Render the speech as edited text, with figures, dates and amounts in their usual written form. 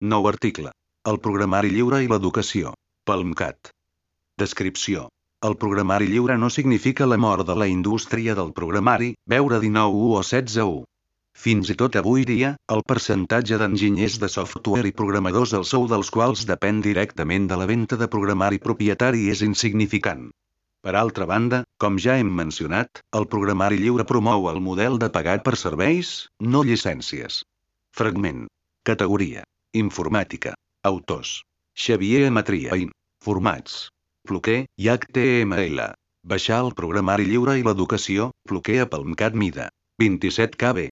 Nou article. El programari lliure i l'educació. PalmCat. Descripció. El programari lliure no significa la mort de la indústria del programari, veure 19.1 o 16.1. Fins i tot avui dia, el percentatge d'enginyers de software i programadors el sou dels quals depèn directament de la venda de programari propietari és insignificant. Per altra banda, com ja hem mencionat, el programari lliure promou el model de pagat per serveis, no llicències. Fragment. Categoria. Informàtica. Autors. Xavier Amatria. Formats. Floquer i HTML. Baixar el programari lliure i l'educació, Floquer a PalmCat mida 27 KB.